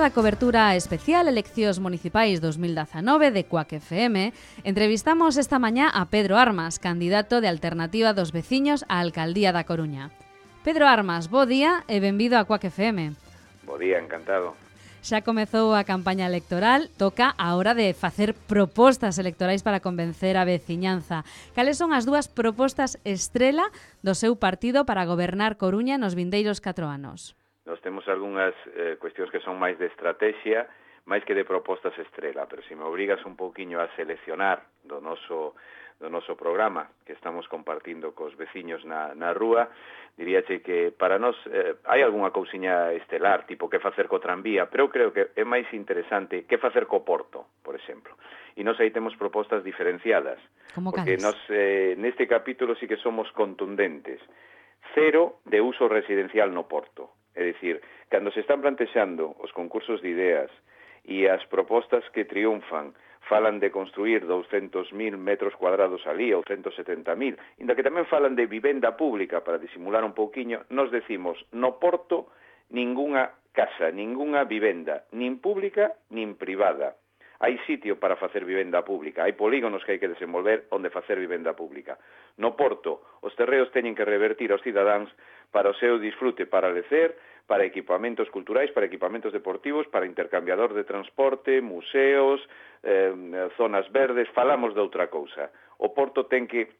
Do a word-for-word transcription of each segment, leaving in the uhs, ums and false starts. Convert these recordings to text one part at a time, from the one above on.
da cobertura especial Eleccións Municipais dos mil dezanove de Cuac F M, entrevistamos esta mañá a Pedro Armas, candidato de Alternativa dos Veciños á Alcaldía da Coruña. Pedro Armas, bo día e benvido a Cuac F M. Bo día, encantado. Xa comezou a campaña electoral, toca a hora de facer propostas electorais para convencer a veciñanza. Cales son as dúas propostas estrela do seu partido para gobernar Coruña nos vindeiros catro anos? Nos temos algunhas eh, cuestións que son máis de estrategia, máis que de propostas estrela, pero se me obrigas un pouquiño a seleccionar do noso, do noso programa que estamos compartindo cos veciños na, na rúa, diríache que para nós eh, hai algunha cousiña estelar, tipo que facer co tranvía, pero eu creo que é máis interesante que facer co porto, por exemplo. E nós aí temos propostas diferenciadas, Como porque cales? nós eh, neste capítulo sí que somos contundentes. Cero de uso residencial no porto. É dicir, cando se están plantexando os concursos de ideas e as propostas que triunfan falan de construir douscentos mil metros cuadrados alí ou ciento setenta mil, inda que tamén falan de vivenda pública para disimular un pouquiño, nos decimos, no porto, ningunha casa, ningunha vivenda, nin pública, nin privada. Hai sitio para facer vivenda pública, hai polígonos que hai que desenvolver onde facer vivenda pública. No porto, os terreos teñen que revertir aos cidadáns para o seu disfrute, para lecer, para equipamentos culturais, para equipamentos deportivos, para intercambiador de transporte, museos, eh, zonas verdes, falamos de outra cousa. O porto ten que,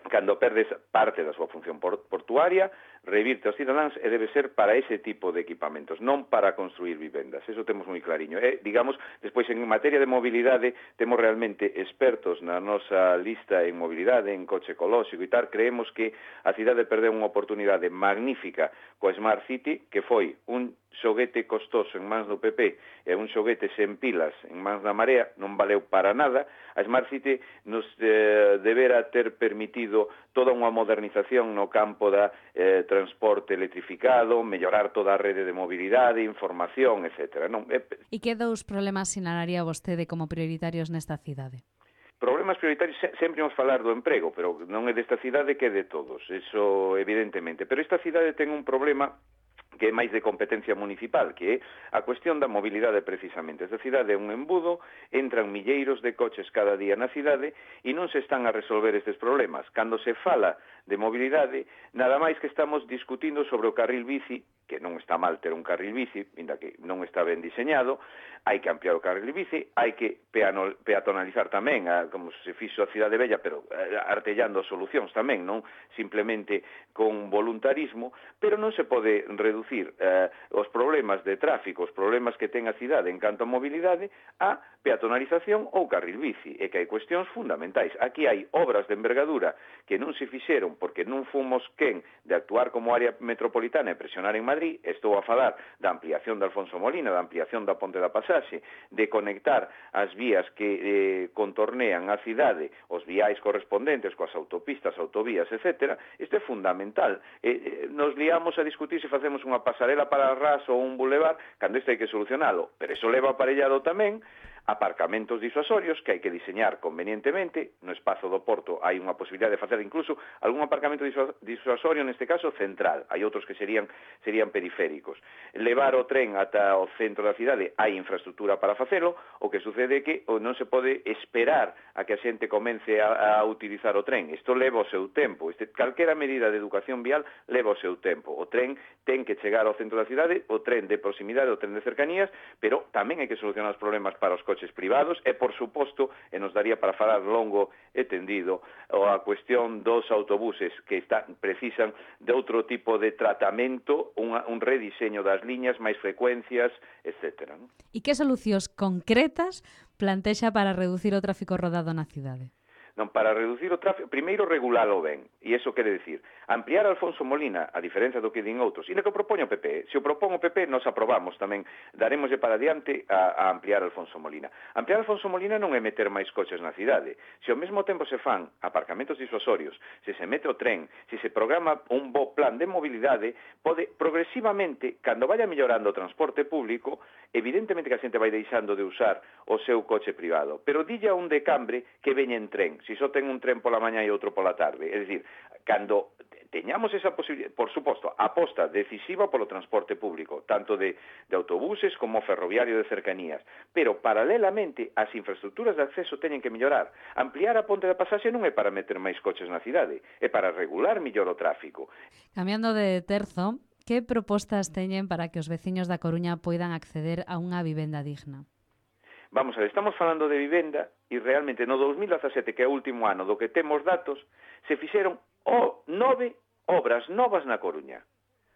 cando perdes parte da súa función portuaria, revirte aos cidadáns e debe ser para ese tipo de equipamentos, non para construir vivendas. Eso temos moi clariño. E, digamos, despois, en materia de mobilidade, temos realmente expertos na nosa lista en mobilidade, en coche ecolóxico e tal. Creemos que a cidade perdeu unha oportunidade magnífica coa Smart City, que foi un xoguete costoso en mans do P P e un xoguete sen pilas en mans da Marea, non valeu para nada. A Smart City nos eh, debera ter permitido toda unha modernización no campo da eh, transporte electrificado, mellorar toda a rede de mobilidade, información, etcétera. Non, eh, E que dous problemas sinalaría vostede como prioritarios nesta cidade? Problemas prioritarios, sempre vamos falar do emprego, pero non é desta cidade que é de todos, eso evidentemente. Pero esta cidade ten un problema que é máis de competencia municipal, que é a cuestión da mobilidade precisamente. Esta cidade é un embudo, entran milleiros de coches cada día na cidade e non se están a resolver estes problemas. Cando se fala de mobilidade, nada máis que estamos discutindo sobre o carril bici, que non está mal ter un carril bici, ainda que non está ben diseñado, hai que ampliar o carril bici, hai que peatonalizar tamén, a, como se fixo a Cidade Bella, pero artellando solucións tamén, non simplemente con voluntarismo, pero non se pode reducir eh, os problemas de tráfico, os problemas que ten a cidade en canto a mobilidade, a peatonalización ou carril bici, e que hai cuestións fundamentais. Aquí hai obras de envergadura que non se fixeron porque non fomos quen de actuar como área metropolitana e presionar en Madrid. Estou a falar da ampliación de Alfonso Molina, da ampliación da Ponte da Pasaxe, de conectar as vías que eh, contornean a cidade, os viais correspondentes coas autopistas, autovías, etcétera. Isto é fundamental. Eh, eh, nos liamos a discutir se facemos unha pasarela para ras ou un bulevar, cando isto hai que solucionalo, pero iso leva aparellado tamén aparcamentos disuasorios que hai que diseñar convenientemente. No espazo do porto hai unha posibilidade de facer incluso algún aparcamento disuasorio, neste caso central, hai outros que serían serían periféricos. Levar o tren ata o centro da cidade, hai infraestructura para facelo. O que sucede é que non se pode esperar a que a xente comence a, a utilizar o tren. Isto leva o seu tempo. Este, calquera medida de educación vial leva o seu tempo. O tren ten que chegar ao centro da cidade, o tren de proximidade, o tren de cercanías, pero tamén hai que solucionar os problemas para os coches privados e, por suposto, e nos daría para falar longo e tendido, a cuestión dos autobuses que están, precisan de outro tipo de tratamento, unha, un rediseño das liñas, máis frecuencias, etcétera. ¿No? E que solucións concretas plantexa para reducir o tráfico rodado na cidade? Non, para reducir o tráfico, primeiro regulalo ben, e iso quere decir, ampliar Alfonso Molina, a diferencia do que din outros, e no que propone o P P, se o propón o P P, nos aprobamos tamén, daremoslle para diante a, a ampliar Alfonso Molina. Ampliar Alfonso Molina non é meter máis coches na cidade, se ao mesmo tempo se fan aparcamentos disuasorios, se se mete o tren, se se programa un bo plan de mobilidade, pode progresivamente, cando vaya mellorando o transporte público, evidentemente que a xente vai deixando de usar o seu coche privado, pero dilla un decambre que veña en tren, se só ten un tren pola mañá e outro pola tarde. É dicir, cando teñamos esa posibilidad, por suposto, aposta decisiva polo transporte público, tanto de, de autobuses como ferroviario de cercanías, pero paralelamente as infraestructuras de acceso teñen que mellorar. Ampliar a ponte da pasaxe non é para meter máis coches na cidade, é para regular mellor o tráfico. Cambiando de terzo, que propostas teñen para que os veciños da Coruña poidan acceder a unha vivenda digna? Vamos a ver, estamos falando de vivenda e realmente no dos mil dezasete, que é o último ano do que temos datos, se fixeron o nove obras novas na Coruña.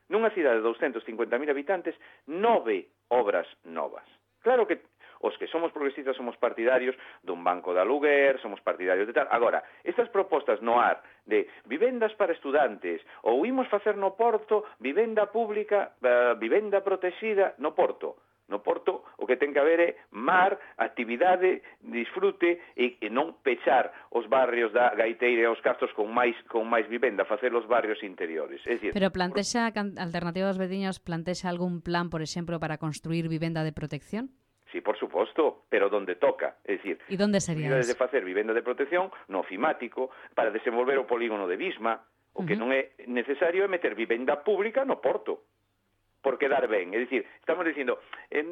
Nunha cidade de douscentos cincuenta mil habitantes, nove obras novas. Claro que os que somos progresistas somos partidarios dun banco de aluguer, somos partidarios de tal. Agora, estas propostas no ar de vivendas para estudantes ou imos facer no Porto vivenda pública, uh, vivenda protexida no Porto. No Porto o que ten que haber é mar, actividade, disfrute e, e non pechar os barrios da Gaiteira e os Castros con máis con máis vivenda, facer os barrios interiores. É dicir, pero plantexa, Alternativa dos Veciños, plantexa algún plan, por exemplo, para construir vivenda de protección? Sí, por suposto, pero donde toca. É dicir, e onde sería de facer vivenda de protección no ofimático para desenvolver o polígono de Visma. O que uh-huh. non é necesario é meter vivenda pública no Porto. Por quedar ben, é dicir, estamos dicindo eh,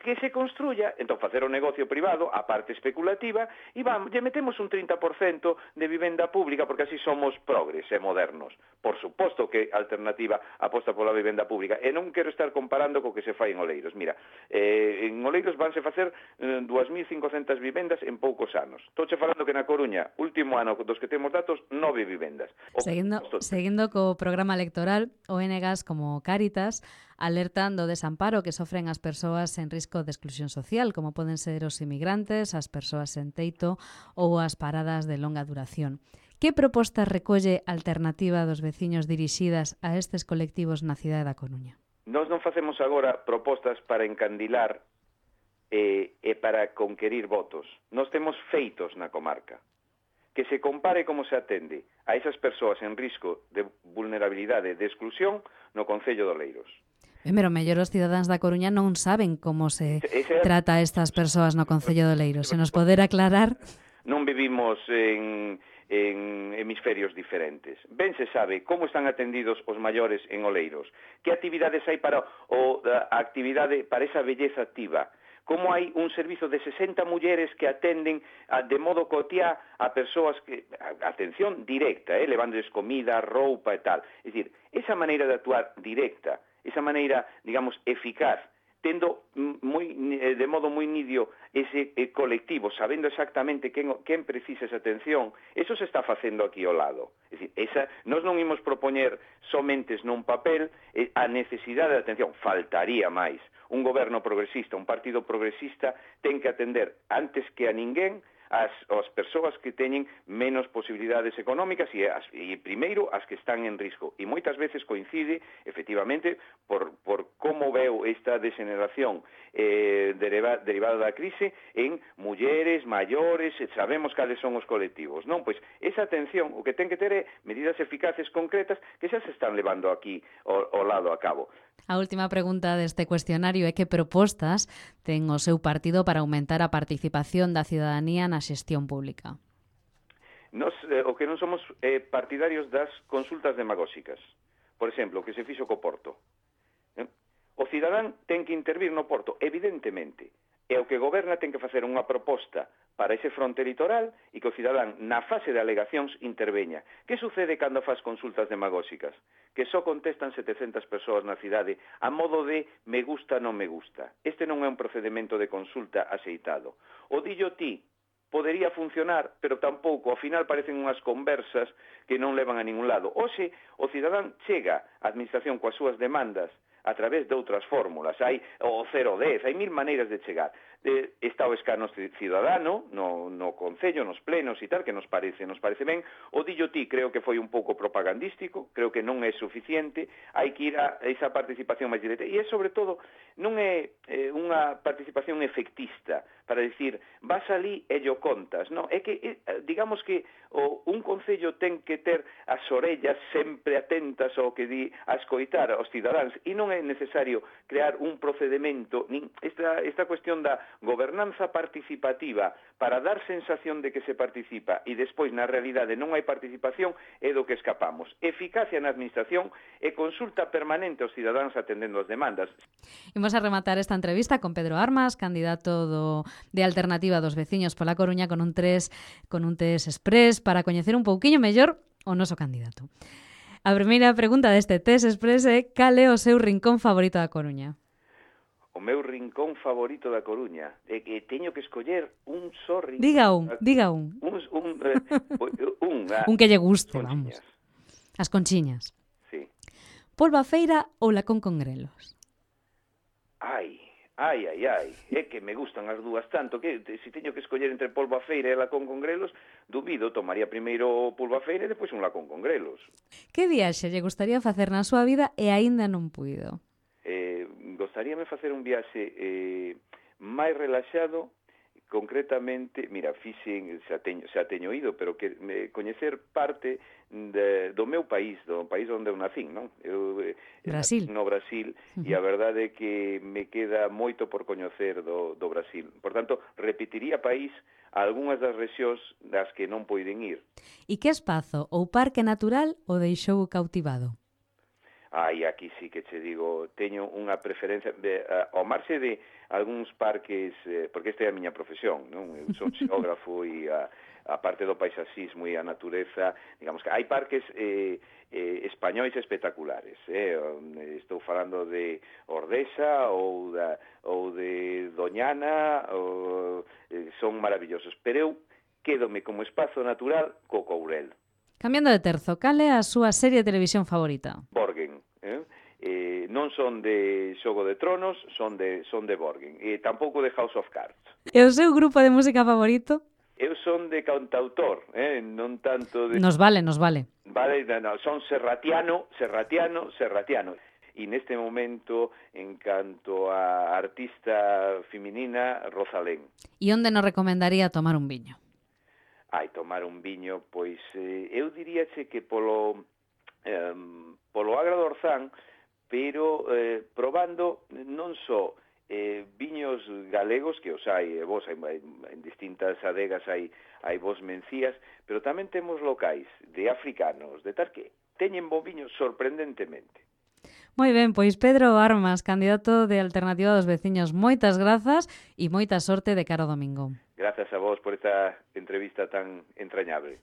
que se construya, entón facer o negocio privado, a parte especulativa, e vamos, lle metemos un trinta por cento de vivenda pública, porque así somos progres e modernos. Por suposto que a Alternativa aposta pola vivenda pública, e non quero estar comparando co que se fai en Oleiros. Mira, eh, en Oleiros vanse facer eh, dúas mil cincocentas vivendas en poucos anos. Estou falando que na Coruña, último ano dos que temos datos, nove vivendas. O seguindo, seguindo co programa electoral, O N G A S como Cáritas alertan do desamparo que sofren as persoas en risco de exclusión social, como poden ser os inmigrantes, as persoas en teito ou as paradas de longa duración. Que propostas recolle a Alternativa dos Veciños dirixidas a estes colectivos na cidade da Coruña? Nós non facemos agora propostas para encandilar e, e para conquerir votos. Nós temos feitos na comarca. Que se compare como se atende a esas persoas en risco de vulnerabilidade e de exclusión no Concello de Oleiros. Pero mellor os cidadáns da Coruña non saben como se trata a estas persoas no Concello de Oleiros. Se nos poder aclarar... Non vivimos en, en hemisferios diferentes. Ben se sabe como están atendidos os maiores en Oleiros. Que actividades hai para o, a actividade para esa belleza activa. Como hai un servizo de sesenta mulleres que atenden a, de modo cotiá a persoas que, a, atención directa, eh, levándoles comida, roupa e tal. É dicir, esa maneira de actuar directa, esa maneira, digamos, eficaz, tendo moi, de modo moi nidio ese eh, colectivo, sabendo exactamente quen, quen precisa esa atención, eso se está facendo aquí ao lado. É dicir, esa, nós non imos propoñer somentes nun papel eh, a necesidade de atención, faltaría máis. Un goberno progresista, un partido progresista, ten que atender antes que a ninguén as, as persoas que teñen menos posibilidades económicas e, as, e primeiro as que están en risco. E moitas veces coincide, efectivamente, por, por como veo esta degeneración eh, deriva, derivada da crise en mulleres, maiores, sabemos cales son os colectivos, non? Pois esa atención, o que ten que ter é medidas eficaces concretas que xa se están levando aquí ao, ao lado a cabo. A última pregunta deste cuestionario é que propostas ten o seu partido para aumentar a participación da cidadanía na xestión pública. Nos, eh, o que non somos eh, partidarios das consultas demagóxicas. Por exemplo, o que se fixo co Porto. Eh? O cidadán ten que intervir no Porto, evidentemente. E o que goberna ten que facer unha proposta para ese fronte litoral e que o cidadán na fase de alegacións interveña. Que sucede cando faz consultas demagóxicas? Que só contestan setecentas persoas na cidade a modo de me gusta, non me gusta. Este non é un procedimento de consulta axeitado. O dillo ti podería funcionar, pero tampouco, ao final parecen unhas conversas que non levan a ningún lado. Oxe, o cidadán chega á administración coas súas demandas a través de outras fórmulas. Hai o cero dez, hai mil maneiras de chegar. De, está o escano cidadano no, no Concello, nos plenos e tal, que nos parece, nos parece ben. O dillo ti creo que foi un pouco propagandístico, creo que non é suficiente, hai que ir a esa participación máis directa. E é, sobre todo, non é eh, unha participación efectista, para dicir, vas ali e yo contas, non? É que, eh, digamos que o, un Concello ten que ter as orellas sempre atentas ao que di a escoitar aos cidadáns, e non é é necesario crear un procedimento, nin esta, esta cuestión da gobernanza participativa para dar sensación de que se participa e despois na realidade non hai participación é do que escapamos. Eficacia na administración e consulta permanente aos cidadáns atendendo as demandas. Imos a rematar esta entrevista con Pedro Armas, candidato do, de Alternativa dos Veciños pola Coruña, con un tres, con un test express para coñecer un pouquiño mellor o noso candidato. A primeira pregunta deste test express é: cal é o seu rincón favorito da Coruña? O meu rincón favorito da Coruña é que teño que escoller un só rincón. Diga un, diga un. Un, un, eh, un, ah, un que lle guste, conchiñas. Vamos. As conchiñas. Sí. Polvafeira ou lacón con grelos? Ai, ai, ai, ai, é que me gustan as dúas tanto que se teño que escoller entre polvafeira e lacón con grelos, dubido, tomaría primeiro polvafeira e depois un lacón con grelos. Que viaxe lle gustaría facer na súa vida e aínda non puido? Eh, gostaríame facer un viaxe eh, máis relaxado, concretamente, mira, fixen, xa teño, xa teño ido, pero que me coñecer parte de, do meu país, do país onde eu nacín, non? Eu, eh, Brasil. No Brasil, uh-huh. E a verdade é que me queda moito por coñecer do, do Brasil. Por tanto, repetiría país a algunhas das rexións das que non poiden ir. E que espazo ou parque natural o deixou cautivado? Ai, aquí sí que che digo, teño unha preferencia de, uh, ao marxe de algúns parques, eh, porque esta é a miña profesión, non? Eu son xeógrafo e a, a parte do paisaxismo e a natureza, digamos que hai parques eh, eh, españois espectaculares, eh? Estou falando de Ordesa ou, da, ou de Doñana, ou, eh, son maravillosos, pero eu quédome como espazo natural co Courel. Cambiando de terzo, cal é a súa serie de televisión favorita? Borgen. Eh? Eh, non son de Xogo de Tronos, son de son de Borgen. E tampouco de House of Cards. E o seu grupo de música favorito? Eu son de cantautor, eh? Non tanto de... Nos vale, nos vale. Vale, no, no, son serratiano, serratiano, serratiano. E neste momento, en canto a artista feminina, Rosalén. E onde nos recomendaría tomar un viño? Ai, tomar un viño, pois eh, eu diríache que polo eh, polo Agra do Orzán, pero eh, probando non só eh, viños galegos, que os hai, eh, vos hai, en distintas adegas hai, hai vos mencías, pero tamén temos locais de africanos, de tal que teñen bo viño sorprendentemente. Moi ben, pois Pedro Armas, candidato de Alternativa dos Veciños, moitas grazas e moita sorte de cara ao domingo. Grazas a vos por esta entrevista tan entrañable.